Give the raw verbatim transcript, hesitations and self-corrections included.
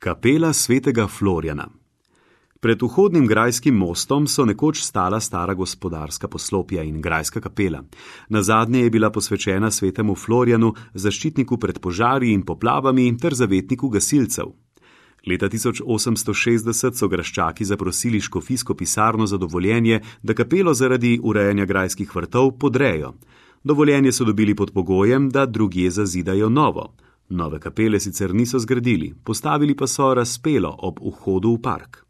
Kapela svetega Florjana. Pred vhodnim grajskim mostom so nekoč stala stara gospodarska poslopja in grajska kapela. Nazadnje je bila posvečena svetemu Florjanu, zaščitniku pred požari in poplavami ter zavetniku gasilcev. Leta tisoč osemsto šestdeset so graščaki zaprosili škofijsko pisarno za dovoljenje, da kapelo zaradi urejanja grajskih vrtov podrejo. Dovoljenje so dobili pod pogojem, da drugje zazidajo novo. Nove kapele sicer niso zgradili, postavili pa so razpelo ob vhodu v park.